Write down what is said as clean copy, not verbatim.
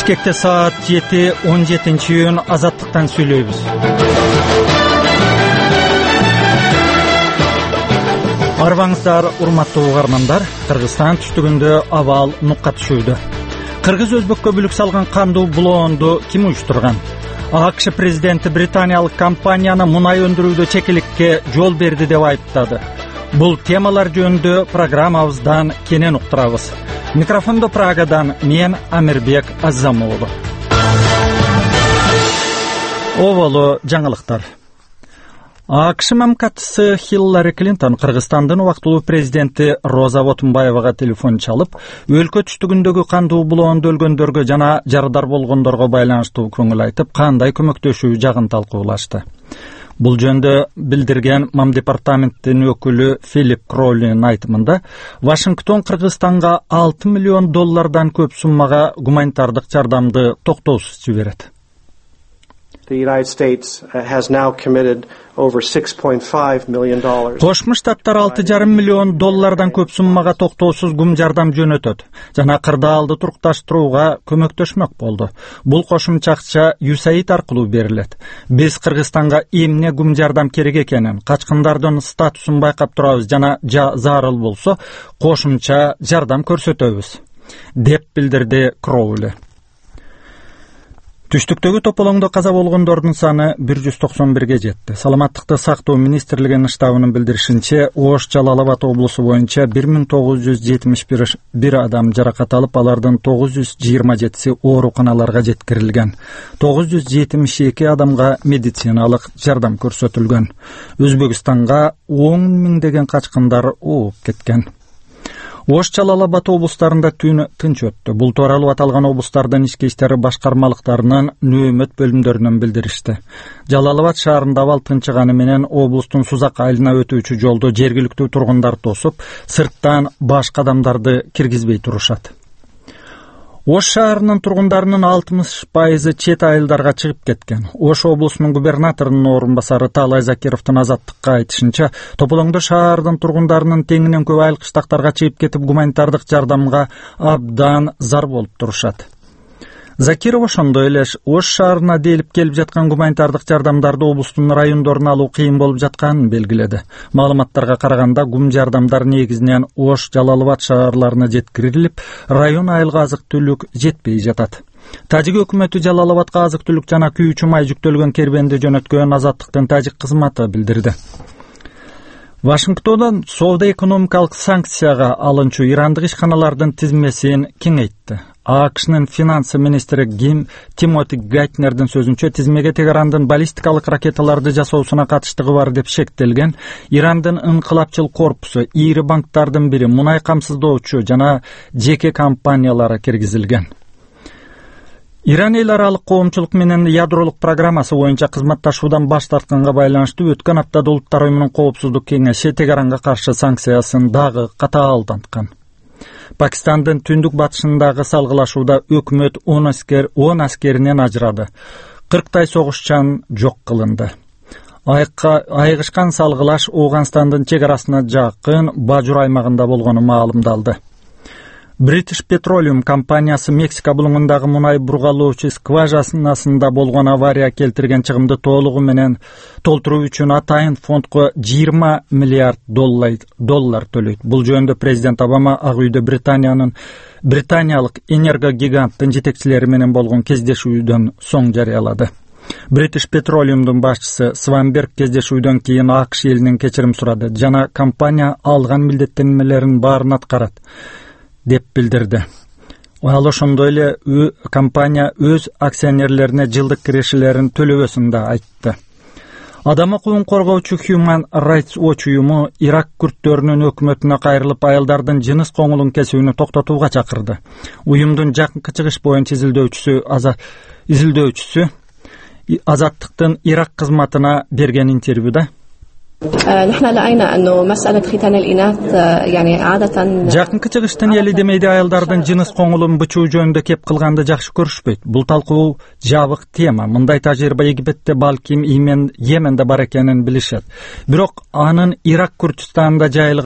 Бишкекте саат 7, 17-июнь Азаттыктан сүйлөйбүз. Арбаңыздар, урматтуу угармандар, Кыргызстан түштүгүндө абал нукка түшүүдө. Кыргыз өзбөккө бүлүк салган кандуу булоонду ким уюштурган? АКШ президенти британиялык компанияны мунай өндүрүүдө чекиликке жол берди деп айыптады. Бул темалар жөнүндө программабыздан кенен уктурабыз. Микрофондо Прагадан мен Амирбек Азамоğlu. Оболо жаңылыктар. АКШ мамкатчысы Хиллари Клинтон Кыргызстандын убактылуу президенти Роза Отунбаевага телефон чалып, өлкө түштүгүндөгү кандуу булоонду өлгөндөргө жана жарыдар болгондорго байланыштуу көңүл айтып, кандай көмөктөшүү жагын талкуулашты. Бул жөнүндө билдирген МАМ департаментинин өкүлү Филипп Кроулинин айтымында, Вашингтон Кыргызстанга $6 миллион көп суммага гуманитардык жардамды токтоосуз жиберет. The United States has now committed over $6.5 million. Кошмо Штаттар $6,5 миллион көп суммага токтоосуз гум жардам жөнөтөт жана кырдаалды турукташтырууга көмөктөшмөк болду. Бул кошумча акча USAID аркылуу берилет. Биз Кыргызстанга эмне гум жардам керек экенин, качкындардын статусун байкап турабыз жана зарыл болсо кошумча жардам көрсөтөбүз, деп билдирди Кроули. Түштүктөгү тополоңдо каза болгондордун саны 191ге жетти. Саламаттыкты сактоо министрлигинин штабынын билдиришинче, Ош Жалал Абад облусу боюнча 1971 адам жаракат алып, алардын 927си ооруканаларга жеткирилген. 972 адамга медициналык жардам көрсөтүлгөн. Өзбекстанга 10 миңдеген качкындар ооп кеткен. Ош Жалал Абад облустарында түн тынч өттү. Бул тууралуу аталган облустардын ички иштери башкармалыктарынын нөөмөт бөлүмдөрүнөн билдиришти. Жалал Абад шаарында абал тынчыганы менен облустун Сузак айылына өтүүчү жолду жергиликтүү тургундар тосуп, сырттан башка адамдарды киргизбей турушат. Ош шаарынын тургундарынын 60% чет айылдарга чыгып кеткен. Ош облусунун губернаторунун орун басары Таалай Закировдун Азаттыкка айтышынча, тополоңдо шаардын тургундарынын теңинен көп айыл кыштактарга чыгып кетип, гуманитардык жардамга абдан зар болуп турушат. Закиров ошондой эле Ош шаарына делип келип жаткан гуманитардык жардамдарды облустун райондоруна алуу кыйын болуп жатканын белгиледи. Маалыматтарга караганда, гум жардамдар негизинен Ош, Жалал Абад шаарларына жеткирилип, район айылга азык-түлүк жетпей жатат. Тажик өкмөтү Жалал Абадка азык-түлүк жана күйүүчү май жүктөлгөн кербенди жөнөткөн Азаттыктын тажик кызматы билдирди. Вашингтондон соода-экономикалык санкцияга алынчу ирандык ишканалардын тизмесин кеңейтти. АКШнын финансы министри Тимоти Гайтнердин сөзүнчө, тизмеге Тегерандын баллистикалык ракеталарды жасоосуна катыштыгы бар деп шектелген Ирандын инкылапчыл корпусу, ири банктардын бири, мунай камсыздоочу жана жеке компаниялары киргизилген. Иран эл аралык коомчулук менен ядролук программасы боюнча кызматташуудан баш тартканга байланыштуу өткөн аптада Улуттар уюмунун коопсуздук кеңеши Тегеранга каршы санкциясын дагы катаалданткан. Пакистандын түндүк батышындагы салгылашууда өкмөт 10 аскеринен ажырады. 40 согушчан жок кылынды. Айыгышкан салгылаш Ооганстандын чек арасына жакын Бажур аймагында болгону маалымдалды. British Petroleum компаниясы Мексика булуңундагы мунай бургалоочу скважинасында болгон авария келтирген чыгымды толугу менен толтуруу үчүн атайын фондко $20 миллиард төлөйт. Бул жөнүндө президент Обама Ак үйдө британиялык энергогиганттын жетекчилери менен болгон кездешүүдөн соң жарыялады. British Petroleum'дун башчысы Сванберг кездешүүдөн кийин АКШ элинен кечирим сурады жана компания алган милдеттенмелерин баарын аткарат, деп билдирди. Ал ошондой эле компания өз акционерлерине жылдык кирешелерин төлөбөсүн да айтты. Адам укугун коргоочу Human Rights Watch уюму Ирак күрттөрүнүн өкмөтүнө кайрылып, айылдардын жыныс коңулун кесүүнү токтотууга чакырды. Уюмдун жакынкы чыгыш боюнча изилдөөчүсү Азаттыктын Ирак кызматына берген интервьюда жакынкы чыгыштын эли демейде айылдардын жыныс коңулун бычуу жөнүндө кеп кылганды жакшы көрүшпөйт. Бул талкуу жабык тема. Мындай тажрыйба Египетте, балким Йеменде бар экенин билишет. Бирок анын Ирак Күрдистанында жайылган